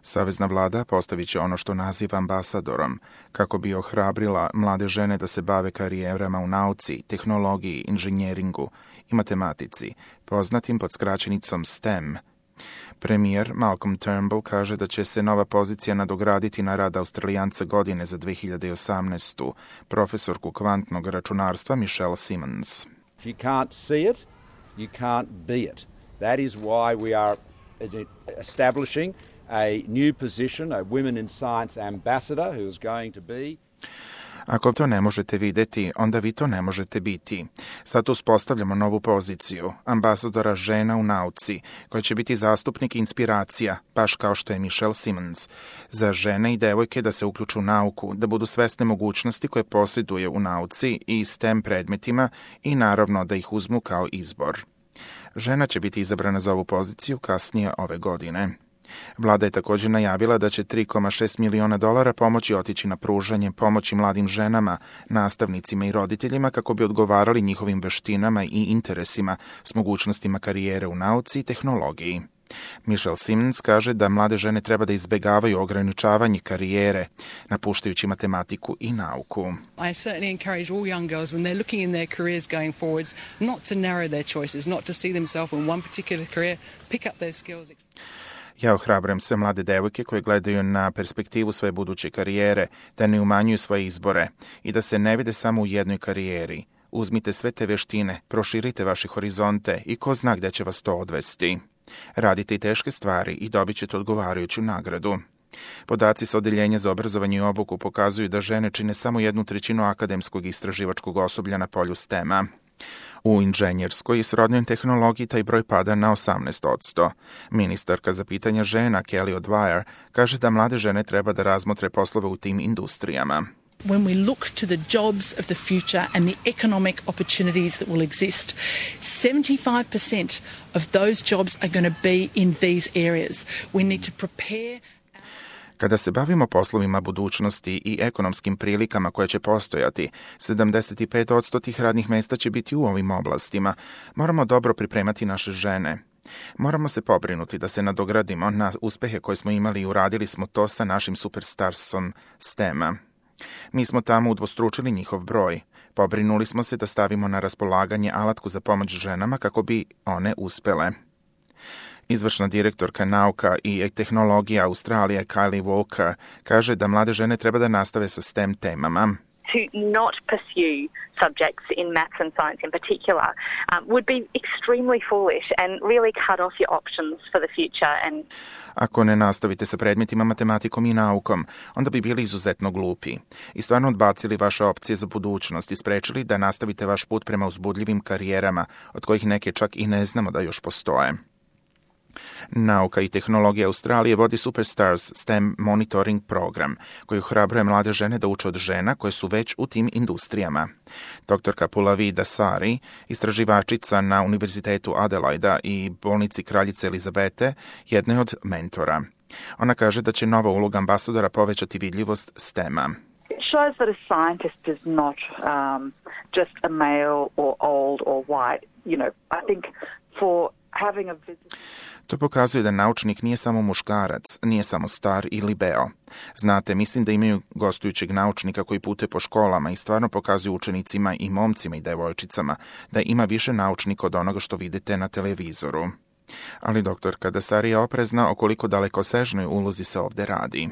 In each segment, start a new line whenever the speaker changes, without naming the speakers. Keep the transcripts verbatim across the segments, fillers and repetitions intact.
Savezna vlada postavit će ono što naziva ambasadorom, kako bi ohrabrila mlade žene da se bave karijerama u nauci, tehnologiji, inženjeringu i matematici, poznatim pod skraćenicom STEM. Premijer Malcolm Turnbull kaže da će se nova pozicija nadograditi na rad Australijanca godine za dve hiljade osamnaestu. Profesorku kvantnog računarstva Michelle Simmons.
If you can't see it, you can't be it. That is why we are establishing a new position, a Women in Science ambassador who is going to be.
Ako to ne možete videti, onda vi to ne možete biti. Sad uspostavljamo novu poziciju, ambasadora žena u nauci, koja će biti zastupnik i inspiracija, baš kao što je Michelle Simmons, za žene i devojke da se uključu u nauku, da budu svesne mogućnosti koje posjeduje u nauci i STEM predmetima i naravno da ih uzmu kao izbor. Žena će biti izabrana za ovu poziciju kasnije ove godine. Vlada je također najavila da će tri zarez šest miliona dolara pomoći otići na pružanje pomoći mladim ženama, nastavnicima i roditeljima kako bi odgovarali njihovim veštinama i interesima s mogućnostima karijere u nauci i tehnologiji. Michelle Simmons kaže da mlade žene treba da izbegavaju ograničavanje karijere, napuštajući matematiku i nauku.
I certainly encourage all young girls when they're looking in their careers going forwards not to narrow their choices, not to see themselves in one particular career, pick up those skills.
Ja ohrabrujem sve mlade devojke koje gledaju na perspektivu svoje buduće karijere, da ne umanjuju svoje izbore i da se ne vide samo u jednoj karijeri. Uzmite sve te veštine, proširite vaše horizonte i ko zna gde će vas to odvesti. Radite i teške stvari i dobit ćete odgovarajuću nagradu. Podaci sa Odeljenja za obrazovanje i obuku pokazuju da žene čine samo jednu trećinu akademskog i istraživačkog osoblja na polju STEM-a. U inženjerskoj i srodnoj tehnologiji taj broj pada na osamnaest posto. Ministarka za pitanja žena Kelly O'Dwyer kaže da mlade žene treba da razmotre poslove u tim industrijama.
When we look to the jobs of the future and the economic opportunities that will exist, seventy-five percent of those jobs are going to be in these areas. We need to prepare.
Kada se bavimo poslovima budućnosti i ekonomskim prilikama koje će postojati, sedamdeset pet posto tih radnih mjesta će biti u ovim oblastima. Moramo dobro pripremati naše žene. Moramo se pobrinuti da se nadogradimo na uspehe koje smo imali i uradili smo to sa našim superstarsom STEM-a. Mi smo tamo udvostručili njihov broj. Pobrinuli smo se da stavimo na raspolaganje alatku za pomoć ženama kako bi one uspele. Izvršna direktorka nauka i tehnologija Australije Kylie Walker kaže da mlade žene treba da nastave sa STEM temama.
To not pursue subjects in maths and science in particular um, would be extremely foolish and really cut off your options for the future. And
Ako ne nastavite sa predmetima matematikom i naukom, onda bi bili izuzetno glupi i stvarno odbacili vaše opcije za budućnost i sprečili da nastavite vaš put prema uzbudljivim karijerama, od kojih neke čak i ne znamo da još postoje. Nauka i tehnologija Australije vodi Superstars STEM monitoring program, koji ohrabruje mlade žene da uče od žena koje su već u tim industrijama. Doktorka Pulavi Dasari, istraživačica na Univerzitetu Adelaida i bolnici Kraljice Elizabete, jedna je od mentora. Ona kaže da će nova uloga ambasadora povećati vidljivost STEM-a.
It shows that a scientist is not um, just a male or old or white. You know, I think for having a visit...
To pokazuje da naučnik nije samo muškarac, nije samo star ili beo. Znate, mislim da imaju gostujućeg naučnika koji putuje po školama i stvarno pokazuju učenicima i momcima i devojčicama da ima više naučnika od onoga što vidite na televizoru. Ali doktorka Dasari je oprezna o koliko dalekosežnoj ulozi se ovdje radi.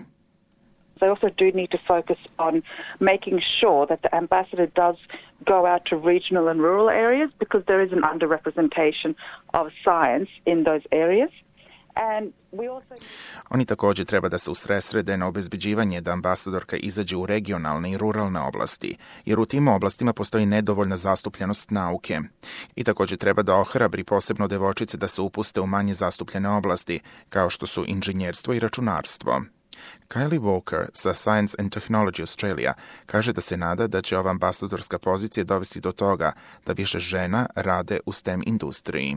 They also do need to focus on making sure that the ambassador does go out to regional and rural areas because there is an underrepresentation of science in those areas. And we also...
Oni također treba da se usredsrede na obezbeđivanje da ambasadorka izađe u regionalne i ruralne oblasti, jer u tim oblastima postoji nedovoljna zastupljenost nauke. I također treba da ohrabri posebno devojčice da se upuste u manje zastupljene oblasti, kao što su inženjerstvo i računarstvo. Kylie Walker sa Science and Technology Australia kaže da se nada da će ova ambasadorska pozicija dovesti do toga da više žena rade u STEM industriji.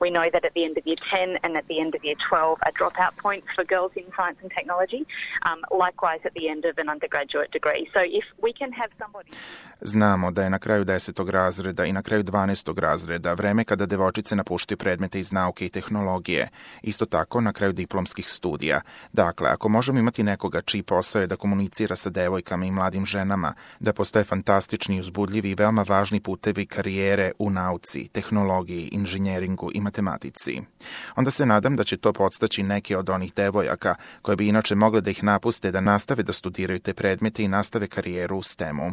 We know that at the end of year ten and at the end of year twelve are dropout points for girls in science and technology, um, likewise at the end of an undergraduate degree. So if we can have somebody...
Znamo da je na kraju desetog razreda i na kraju dvanaestog razreda vreme kada devojčice napuštaju predmete iz nauke i tehnologije. Isto tako na kraju diplomskih studija. Dakle, ako možemo imati nekoga čiji posao je da komunicira sa devojkama i mladim ženama, da postoje fantastični, uzbudljivi i veoma važni putevi karijere u nauci, tehnologiji, inženjeringu i matematici, onda se nadam da će to podstaći neke od onih devojaka koje bi inače mogle da ih napuste da nastave da studiraju te predmete i nastave karijeru u stemu.